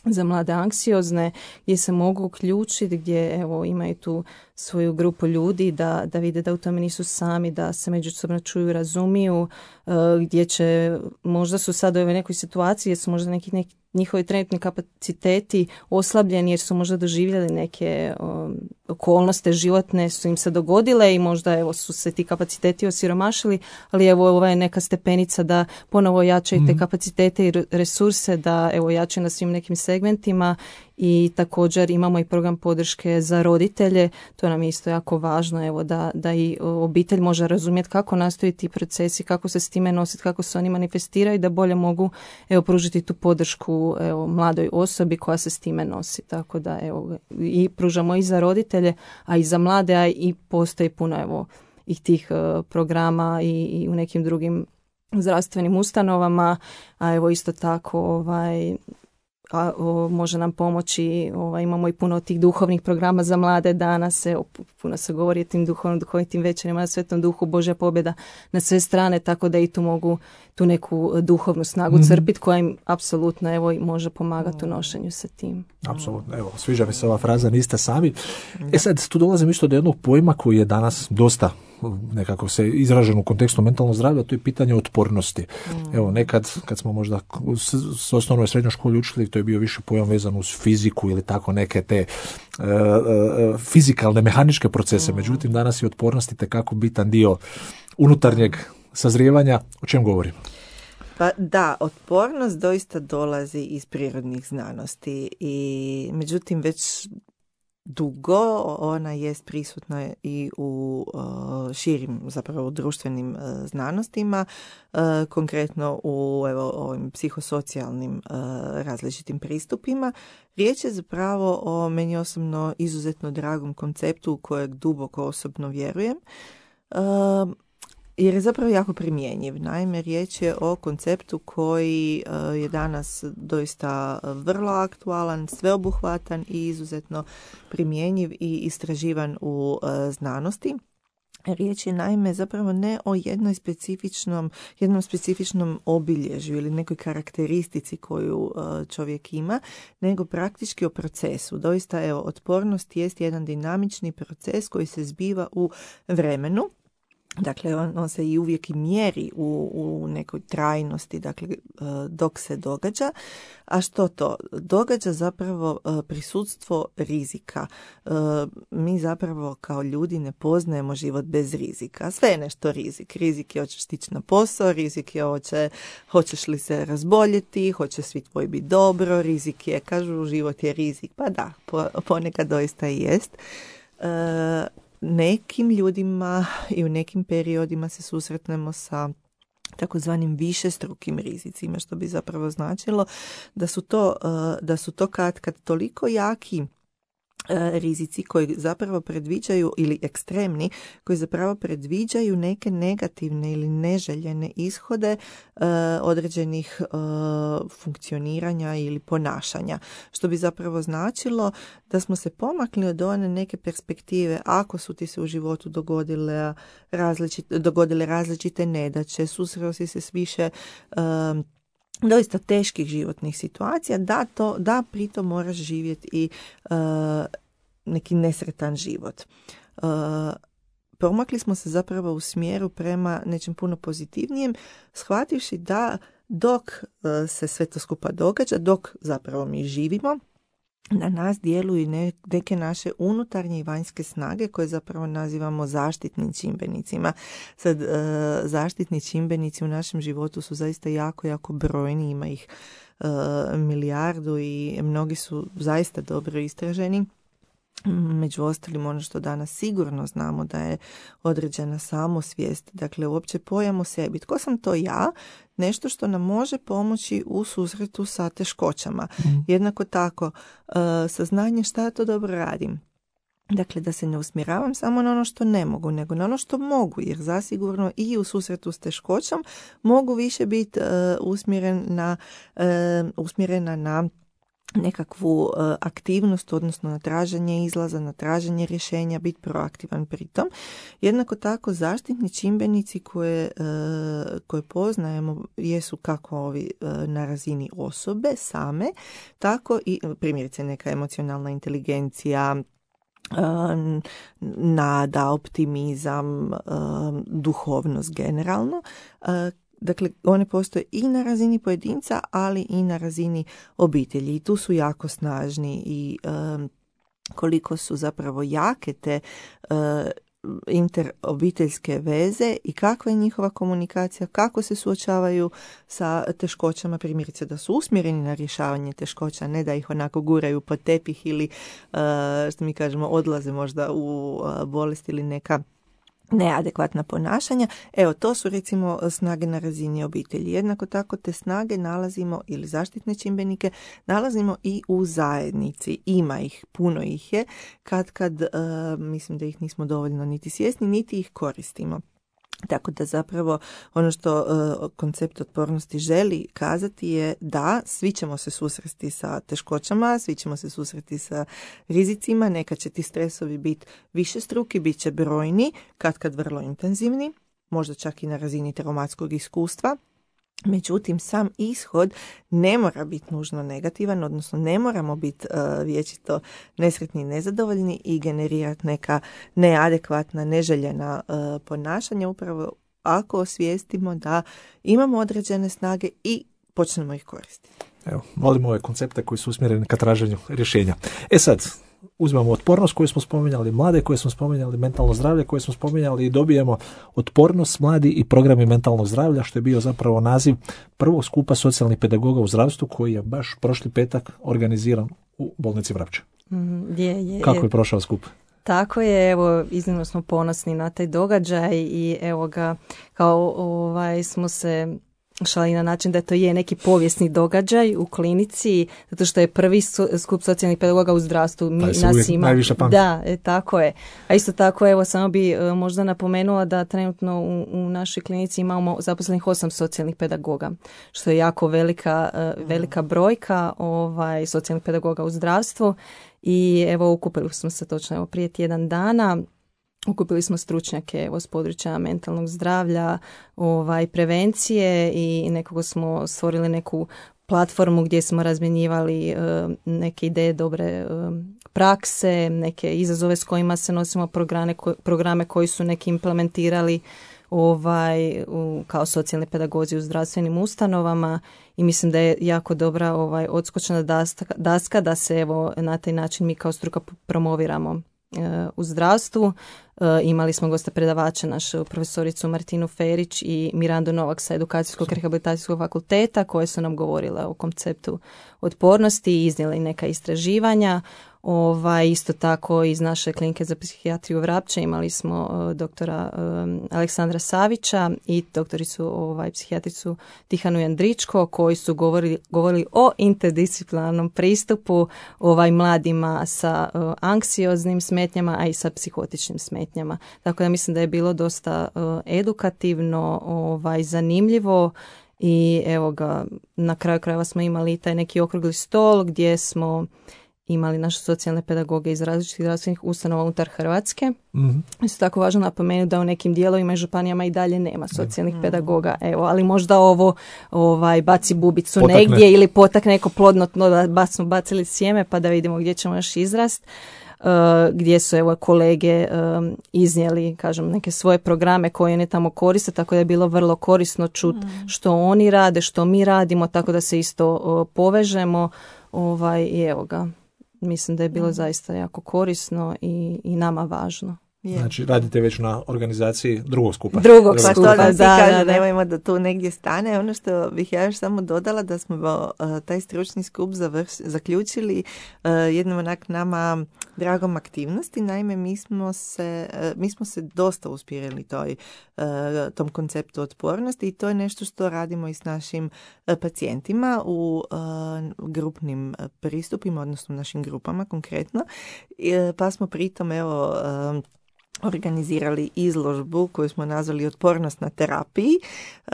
S3: za mlade anksiozne gdje se mogu uključiti, gdje evo imaju tu svoju grupu ljudi da, da vide da u tome nisu sami, da se međusobno čuju, razumiju, uh, gdje će, možda su sad u ovoj nekoj situaciji jer su možda neki, neki njihovi trenutni kapaciteti oslabljeni jer su možda doživjeli neke um, okolnosti životne su im se dogodile i možda evo su se ti kapaciteti osiromašili, ali evo ova je neka stepenica da ponovo jačaju te kapacitete i resurse, da evo jačaju na svim nekim segmentima i također imamo i program podrške za roditelje, to nam je isto jako važno evo da, da i obitelj može razumjeti kako nastaju ti procesi, kako se s time nositi, kako se oni manifestiraju, da bolje mogu evo pružiti tu podršku evo mladoj osobi koja se s time nosi, tako da evo i pružamo i za roditelje, a i za mlade, a i postoji puno evo i tih uh, programa i, i u nekim drugim zdravstvenim ustanovama, a evo isto tako ovaj a, o, može nam pomoći, ovaj, imamo i puno tih duhovnih programa za mlade danas, evo, puno se govori o tim duhovnim, duhovitim večerima na Svetom Duhu, Božja pobjeda na sve strane, tako da i tu mogu tu neku duhovnu snagu mm-hmm. crpiti koja im apsolutno evo, može pomagati u nošenju sa tim.
S2: Apsolutno, evo, sviđa mi se ova fraza, niste sami. E sad, tu dolazim isto do jednog pojma koji je danas dosta nekako se izražen u kontekstu mentalnog zdravlja, to je pitanje otpornosti. Mm. Evo, nekad kad smo možda s, s osnovnoj i srednjoj školi učili, to je bio više pojam vezan uz fiziku ili tako neke te uh, uh, fizikalne, mehaničke procese. Mm. Međutim, danas je otpornost itekako bitan dio unutarnjeg sazrijevanja. O čem govorimo?
S4: Pa da, otpornost doista dolazi iz prirodnih znanosti i međutim već dugo ona jest prisutna i u uh, širim zapravo društvenim uh, znanostima, uh, konkretno u evo, ovim psihosocijalnim uh, različitim pristupima. Riječ je zapravo o meni osobno izuzetno dragom konceptu u kojeg duboko osobno vjerujem. Uh, Jer je zapravo jako primjenjiv. Naime, riječ je o konceptu koji uh, je danas doista vrlo aktualan, sveobuhvatan i izuzetno primjenjiv i istraživan u uh, znanosti. Riječ je naime zapravo ne o jednoj specifičnom, jednom specifičnom obilježju ili nekoj karakteristici koju uh, čovjek ima, nego praktički o procesu. Doista, evo, otpornost jest jedan dinamični proces koji se zbiva u vremenu. Dakle, on, on se i uvijek i mjeri u, u nekoj trajnosti, dakle, dok se događa. A što to? Događa zapravo prisutstvo rizika. Mi zapravo kao ljudi ne poznajemo život bez rizika. Sve je nešto rizik. Rizik je hoćeš stići na posao, rizik je hoće, hoćeš li se razboljeti, hoće svi tvoji biti dobro, rizik je, kažu, život je rizik. Pa da, ponekad doista i jest. E, Nekim ljudima i u nekim periodima se susretnemo sa takozvanim višestrukim rizicima, što bi zapravo značilo da su to, da su to kad, kad toliko jaki rizici koji zapravo predviđaju, ili ekstremni, koji zapravo predviđaju neke negativne ili neželjene ishode uh, određenih uh, funkcioniranja ili ponašanja. Što bi zapravo značilo da smo se pomakli od one neke perspektive, ako su ti se u životu dogodile različite, dogodile različite nedaće, susreo si se s više uh, doista teških životnih situacija, da, to, da pritom moraš živjeti i uh, neki nesretan život. Uh, promakli smo se zapravo u smjeru prema nečem puno pozitivnijem, shvativši da dok uh, se sve to skupa događa, dok zapravo mi živimo, na nas djeluju ne, neke naše unutarnje i vanjske snage koje zapravo nazivamo zaštitnim čimbenicima. Sad, e, zaštitni čimbenici u našem životu su zaista jako, jako brojni, ima ih e, milijardu i mnogi su zaista dobro istraženi. Među ostalim, ono što danas sigurno znamo da je određena samosvijest, dakle uopće pojam o sebi. Tko sam to ja? Nešto što nam može pomoći u susretu sa teškoćama. Mm. Jednako tako, uh, saznanje šta ja to dobro radim. Dakle, da se ne usmjeravam samo na ono što ne mogu, nego na ono što mogu, jer zasigurno i u susretu s teškoćom mogu više biti uh, usmjeren na, uh, usmjerena na nekakvu uh, aktivnost, odnosno na traženje izlaza, na traženje rješenja, biti proaktivan pritom. Jednako tako zaštitni čimbenici koje, uh, koje poznajemo jesu kako ovi uh, na razini osobe same, tako i primjerice neka emocionalna inteligencija, uh, nada, optimizam, uh, duhovnost generalno. Uh, Dakle, one postoje i na razini pojedinca, ali i na razini obitelji. I tu su jako snažni i um, koliko su zapravo jake te uh, interobiteljske veze i kakva je njihova komunikacija, kako se suočavaju sa teškoćama, primjerice da su usmjereni na rješavanje teškoća, ne da ih onako guraju pod tepih ili, uh, što mi kažemo, odlaze možda u uh, bolest ili neka neadekvatna ponašanja. Evo, to su recimo snage na razini obitelji. Jednako tako te snage nalazimo, ili zaštitne čimbenike, nalazimo i u zajednici. Ima ih, puno ih je, kad kad uh, mislim da ih nismo dovoljno niti svjesni, niti ih koristimo. Tako da zapravo ono što uh, koncept otpornosti želi kazati je da svi ćemo se susresti sa teškoćama, svi ćemo se susreti sa rizicima, nekad će ti stresovi biti višestruki, bit će brojni, kad kad vrlo intenzivni, možda čak i na razini traumatskog iskustva. Međutim, sam ishod ne mora biti nužno negativan, odnosno ne moramo biti uh, vječito nesretni i nezadovoljni i generirati neka neadekvatna, neželjena uh, ponašanja, upravo ako osvijestimo da imamo određene snage i počnemo ih koristiti.
S2: Evo, volimo ove koncepte koji su usmjereni ka traženju rješenja. E sad, uzmemo otpornost koju smo spominjali, mlade koje smo spominjali, mentalno zdravlje koje smo spominjali i dobijemo otpornost mladi i programi mentalnog zdravlja, što je bio zapravo naziv prvog skupa socijalnih pedagoga u zdravstvu koji je baš prošli petak organiziran u bolnici Vrapče.
S3: Mm, je, je,
S2: Kako
S3: je.
S2: je prošao skup?
S3: Tako je, evo, iznimno smo ponosni na taj događaj i evo ga, kao ovaj, smo se šali na način da to je neki povijesni događaj u klinici, zato što je prvi skup socijalnih pedagoga u zdravstvu. Mi, nas ima,
S2: najviše pamti.
S3: Da, e, tako je. A isto tako, evo, samo bi e, možda napomenula da trenutno u, u našoj klinici imamo zaposlenih osam socijalnih pedagoga, što je jako velika, e, velika brojka ovaj, socijalnih pedagoga u zdravstvu. I evo, okupili smo se točno evo, prije tjedan dana. Okupili smo stručnjake evo, s područja mentalnog zdravlja, ovaj, prevencije i nekako smo stvorili neku platformu gdje smo razmjenjivali uh, neke ideje dobre uh, prakse, neke izazove s kojima se nosimo, programe, ko, programe koji su neki implementirali ovaj, u, kao socijalni pedagozi u zdravstvenim ustanovama i mislim da je jako dobra ovaj, odskočna daska, daska da se evo, na taj način mi kao struka promoviramo u zdravstvu. Imali smo goste predavača, našu profesoricu Martinu Ferić i Mirandu Novak sa Edukacijskog rehabilitacijskog fakulteta koje su nam govorile o konceptu otpornosti i iznijeli neka istraživanja. Ovaj, isto tako iz naše klinike za psihijatriju Vrapče imali smo uh, doktora um, Aleksandra Savića i doktoricu ovaj, psihijatricu Tihanu Jandričko koji su govorili, govorili o interdisciplinarnom pristupu ovaj, mladima sa uh, anksioznim smetnjama, a i sa psihotičnim smetnjama. Tako da mislim da je bilo dosta uh, edukativno, ovaj, zanimljivo. I evo ga, na kraju krajeva smo imali taj neki okrugli stol gdje smo imali naše socijalne pedagoge iz različitih zdravstvenih ustanova unutar Hrvatske. Mm-hmm. Isto tako važno napomenuti da u nekim dijelovima i županijama i dalje nema socijalnih mm-hmm. pedagoga. Evo, ali možda ovo ovaj, baci bubicu potakne. Negdje ili potakne neko plodno tlo da smo bacili sjeme pa da vidimo gdje ćemo još izrast. Uh, gdje su evo kolege um, iznijeli, kažem, neke svoje programe koje oni tamo koriste, tako da je bilo vrlo korisno čuti mm. što oni rade, što mi radimo, tako da se isto uh, povežemo ovaj, i evo ga, mislim da je bilo mm. zaista jako korisno i, i nama važno.
S2: Yeah. Znači, radite već na organizaciji drugog skupa.
S3: Drugog
S4: pa
S3: skupa,
S4: da,
S3: da,
S4: kaže,
S3: da, da.
S4: Nemojmo da tu negdje stane. Ono što bih ja još samo dodala da smo uh, taj stručni skup završ, zaključili uh, jednom onak nama dragom aktivnosti. Naime, mi smo se, uh, mi smo se dosta uspirali toj, uh, tom konceptu otpornosti i to je nešto što radimo i s našim uh, pacijentima u uh, grupnim pristupima, odnosno našim grupama konkretno. Uh, pa smo pritom, evo, uh, organizirali izložbu koju smo nazvali Otpornost na terapiji, uh,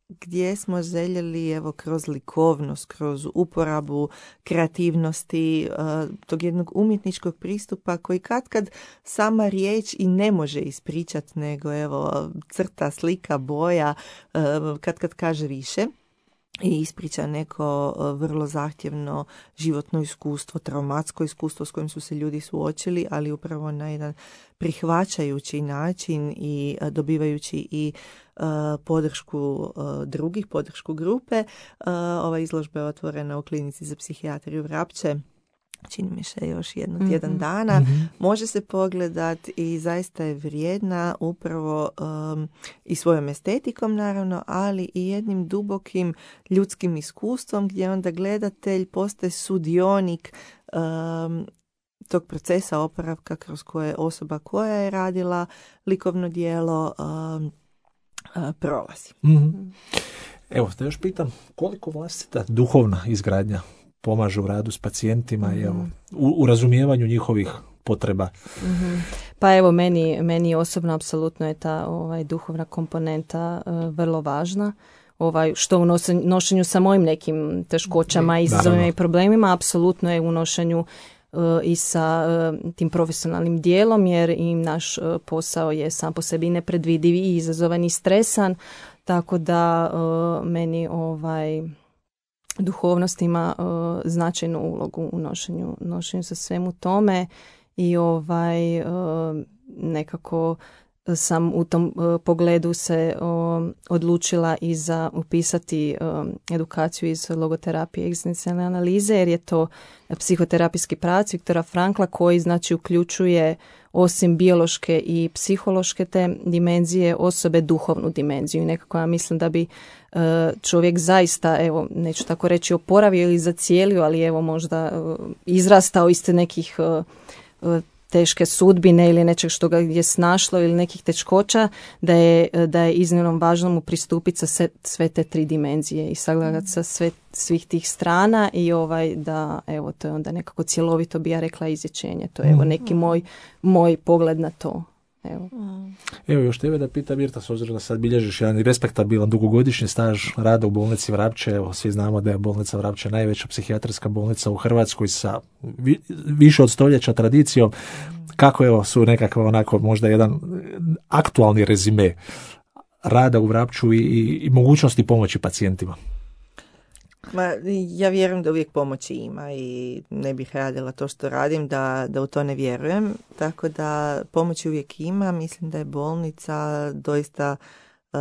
S4: gdje smo željeli evo kroz likovnost, kroz uporabu kreativnosti, uh, tog jednog umjetničkog pristupa koji katkad sama riječ i ne može ispričati, nego evo crta, slika, boja, uh, katkad kaže više. I ispriča neko vrlo zahtjevno životno iskustvo, traumatsko iskustvo s kojim su se ljudi suočili, ali upravo na jedan prihvaćajući način i dobivajući i uh, podršku uh, drugih, podršku grupe. Uh, ova izložba je otvorena u klinici za psihijatriju Vrapče. Čini mi se još jedno tjedan mm-hmm. dana. Mm-hmm. Može se pogledati i zaista je vrijedna upravo um, i svojom estetikom naravno, ali i jednim dubokim ljudskim iskustvom gdje onda gledatelj postaje sudionik um, tog procesa oporavka kroz koje osoba koja je radila likovno djelo um, uh, prolazi.
S2: Mm-hmm. Evo, te još pitam, koliko vlastita duhovna izgradnja pomaže u radu s pacijentima mm-hmm. i evo, u, u razumijevanju njihovih potreba?
S3: Mm-hmm. Pa evo, meni, meni osobno apsolutno je ta ovaj, duhovna komponenta uh, vrlo važna. Ovaj, što u nosen, nošenju sa mojim nekim teškoćama, izazovima i problemima, apsolutno je u nošenju uh, i sa uh, tim profesionalnim dijelom, jer im naš uh, posao je sam po sebi nepredvidiv i izazovan i stresan, tako da uh, meni ovaj duhovnost ima uh, značajnu ulogu u nošenju, nošenju sa svemu tome i ovaj uh, nekako sam u tom uh, pogledu se uh, odlučila i za upisati uh, edukaciju iz logoterapije i egzistencijalne analize, jer je to psihoterapijski pravac Viktora Frankla koji znači uključuje osim biološke i psihološke te dimenzije osobe duhovnu dimenziju i nekako ja mislim da bi uh, čovjek zaista, evo neću tako reći oporavio ili zacijelio, ali evo možda uh, izrastao iz nekih uh, uh, teške sudbine ili nečeg što ga je snašlo ili nekih teškoća, da je, da je iznimno važno mu pristupiti sa sve, sve te tri dimenzije i sagledati sa sve, svih tih strana i ovaj da, evo, to je onda nekako cjelovito bi ja rekla izlječenje. To je evo neki moj, moj pogled na to. Evo.
S2: Evo još tebe da pitam, Mirta, s obzirom da sad bilježiš jedan respektabilan dugogodišnji staž rada u bolnici Vrapče, evo svi znamo da je bolnica Vrapče najveća psihijatrijska bolnica u Hrvatskoj sa vi, više od stoljeća tradicijom. Kako evo su nekakva onako možda jedan aktualni rezime rada u Vrapču i, i, i mogućnosti pomoći pacijentima?
S4: Ma, ja vjerujem da uvijek pomoći ima i ne bih radila to što radim da, da u to ne vjerujem. Tako da pomoći uvijek ima. Mislim da je bolnica doista uh,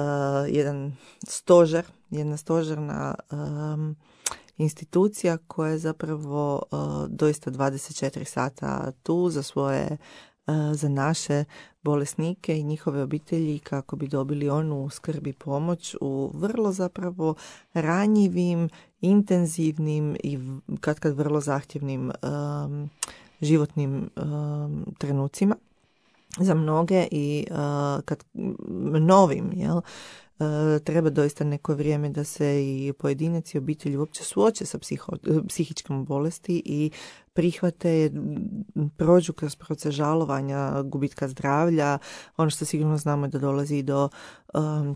S4: jedan stožer, jedna stožerna um, institucija koja je zapravo uh, doista dvadeset četiri sata tu za svoje, uh, za naše bolesnike i njihove obitelji kako bi dobili onu skrb i pomoć u vrlo zapravo ranjivim, intenzivnim i kad kad vrlo zahtjevnim um, životnim um, trenucima za mnoge i uh, kad novim, jel, Uh, treba doista neko vrijeme da se i pojedinac i obitelji uopće suoče sa psiho, psihičkom bolesti i prihvate, prođu kroz proces žalovanja, gubitka zdravlja. Ono što sigurno znamo je da dolazi do um,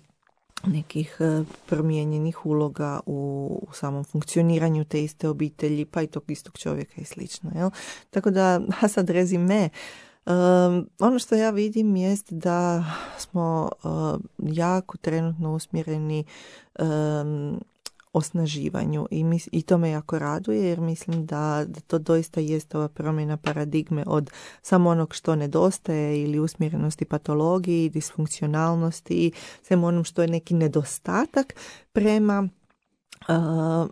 S4: nekih uh, promijenjenih uloga u, u samom funkcioniranju te iste obitelji, pa i tog istog čovjeka i slično. Jel? Tako da, a sad rezime, Um, ono što ja vidim jest da smo uh, jako trenutno usmjereni um, osnaživanju i, mis- i to me jako raduje jer mislim da, da to doista jest ova promjena paradigme od samo onog što nedostaje ili usmjerenosti patologiji, disfunkcionalnosti, svemu onom što je neki nedostatak prema uh,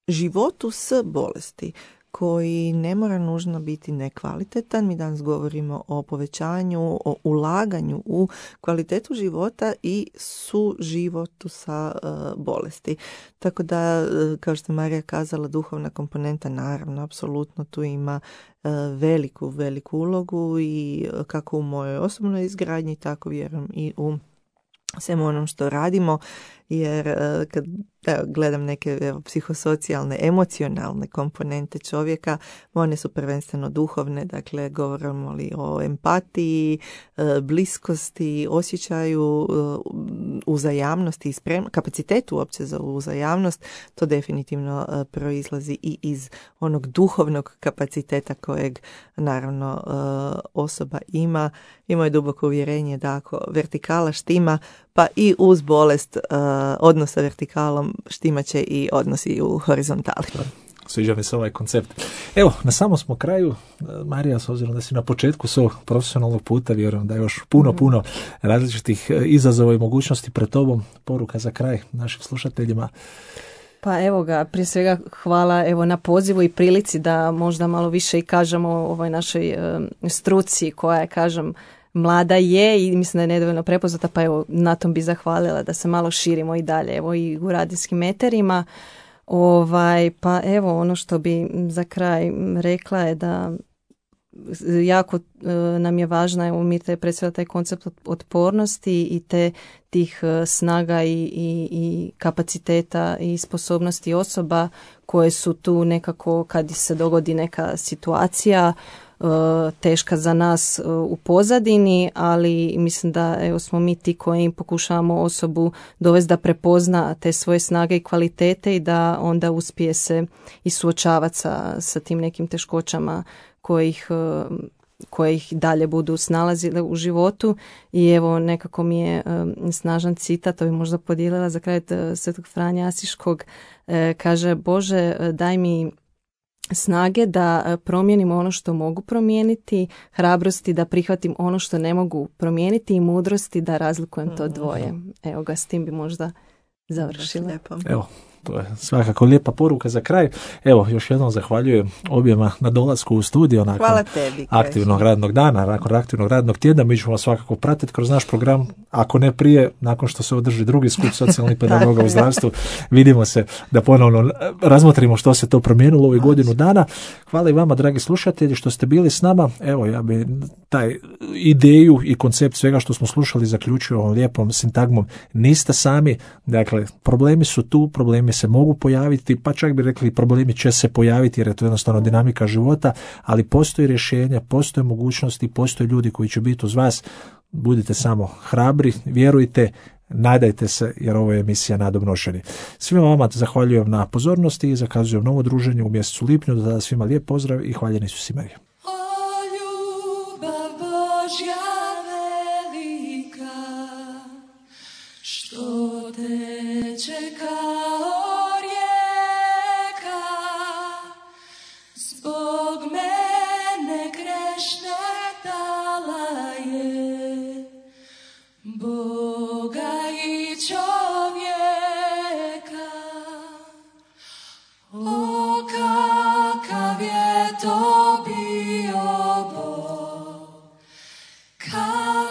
S4: životu s bolesti koji ne mora nužno biti nekvalitetan. Mi danas govorimo o povećanju, o ulaganju u kvalitetu života i suživotu sa uh, bolesti. Tako da, kao što je Marija kazala, duhovna komponenta naravno, apsolutno tu ima uh, veliku, veliku ulogu i kako u mojoj osobnoj izgradnji, tako vjerujem i u svemu onom što radimo, jer uh, kad evo, gledam neke evo, psihosocijalne, emocionalne komponente čovjeka, one su prvenstveno duhovne, dakle govorimo li o empatiji, uh, bliskosti, osjećaju uh, uzajamnosti i sprem, kapacitetu uopće za uzajamnost, to definitivno uh, proizlazi i iz onog duhovnog kapaciteta kojeg naravno uh, osoba ima. I moje duboko uvjerenje da ako vertikala štima, pa i uz bolest uh, odnos sa vertikalom štimat će i odnosi u horizontali.
S2: Sviđa mi se ovaj koncept. Evo, na samom smo kraju. Marija, s obzirom da si na početku svog profesionalnog puta, vjerujem da je još puno, puno različitih izazova i mogućnosti pred tobom. Poruka za kraj našim slušateljima.
S3: Pa evo ga, prije svega hvala evo na pozivu i prilici da možda malo više i kažemo o ovoj našoj e, struci koja je, kažem, mlada je i mislim da je nedovoljno prepoznata, pa evo na tom bi zahvalila da se malo širimo i dalje, evo i u radijskim eterima. Ovaj, pa evo ono što bi za kraj rekla je da jako e, nam je važna, evo mi te predstavlja taj koncept otpornosti i te tih e, snaga i, i, i kapaciteta i sposobnosti osoba koje su tu nekako kad se dogodi neka situacija teška za nas u pozadini, ali mislim da evo smo mi ti koji pokušavamo osobu dovesti da prepozna te svoje snage i kvalitete i da onda uspije se i suočavati sa, sa tim nekim teškoćama kojih koje ih dalje budu snalazile u životu. I evo nekako mi je um, snažan citat, to bi možda podijelila za kraj od Svetog Franje Asiškog, e, kaže: Bože, daj mi snage da promijenim ono što mogu promijeniti, hrabrosti da prihvatim ono što ne mogu promijeniti i mudrosti da razlikujem to dvoje. Evo ga, s tim bi možda završila.
S2: Evo, to je svakako lijepa poruka za kraj. Evo, još jednom zahvaljujem objema na dolasku u studio nakon
S4: Hvala tebi,
S2: aktivnog radnog dana, nakon aktivnog radnog tjedna. Mi ćemo vas svakako pratiti kroz naš program, ako ne prije, nakon što se održi drugi skup socijalnih pedagoga u zdravstvu. Vidimo se da ponovno razmotrimo što se to promijenilo u ovih godinu dana. Hvala i vama, dragi slušatelji, što ste bili s nama. Evo, ja bi taj ideju i koncept svega što smo slušali zaključio ovom lijepom sintagmom: niste sami. Dakle, problemi su tu, problemi se mogu pojaviti, pa čak bi rekli problemi će se pojaviti jer je to jednostavno dinamika života, ali postoji rješenja, postoje mogućnosti, postoje ljudi koji će biti uz vas. Budite samo hrabri, vjerujte, nadajte se, jer ovo je emisija Nadomnošeni. Svima vama zahvaljujem na pozornosti i zakazujem novo druženje u mjesecu lipnju. Do tada svima lijep pozdrav i hvaljeni su si Marija.
S5: O ljubav Božja velika, što teče kao rijeka, zbog mene grešne dala je, Boga i čovjeka. O, kakav je to bio Bog, kakav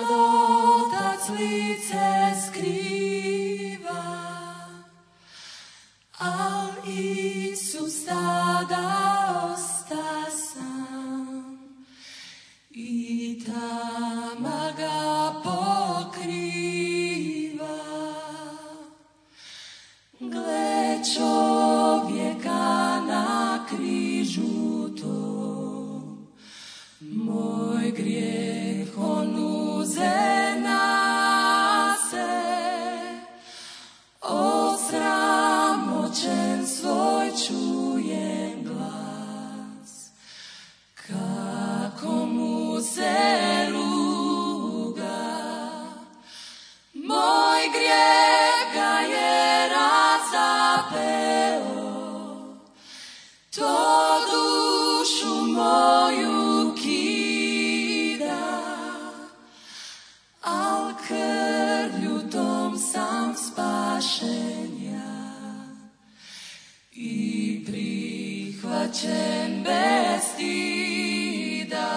S5: plačem bez stida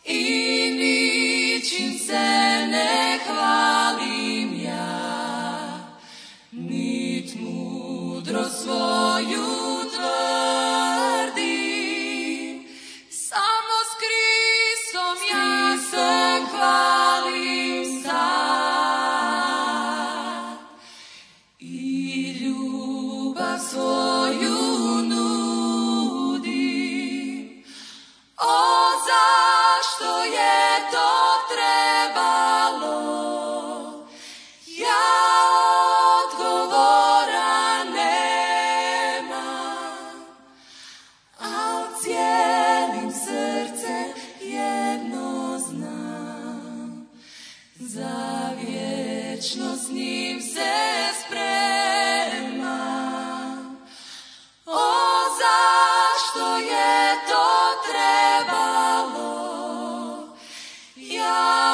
S5: i ničim se ne hvalim ja, nit mudro svoju tvrdim, samo s Kristom ja se hvalim sad i ljubav svoju nudim. O, zašto je to trebalo? Ja odgovora nemam, al cijelim srcem jedno znam, za vječno s njim se spremam. O, zašto je to trebalo? Ja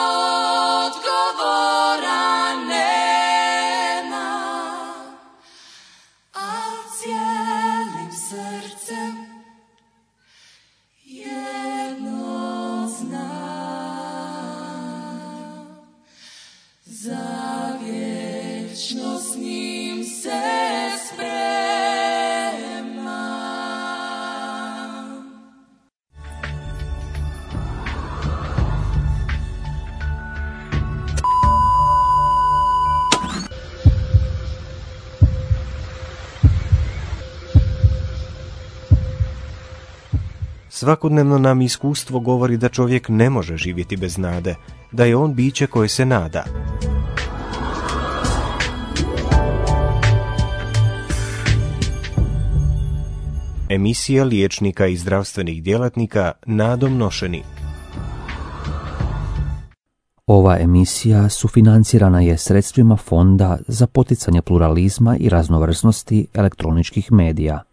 S5: odgovora nemam, al cijelim srcem jedno znam, za vječno s njim se spremam.
S1: Svakodnevno nam iskustvo govori da čovjek ne može živjeti bez nade, da je on biće koje se nada. Emisija liječnika i zdravstvenih djelatnika nadom nošeni.
S6: Ova emisija sufinancirana je sredstvima Fonda za poticanje pluralizma i raznovrsnosti elektroničkih medija.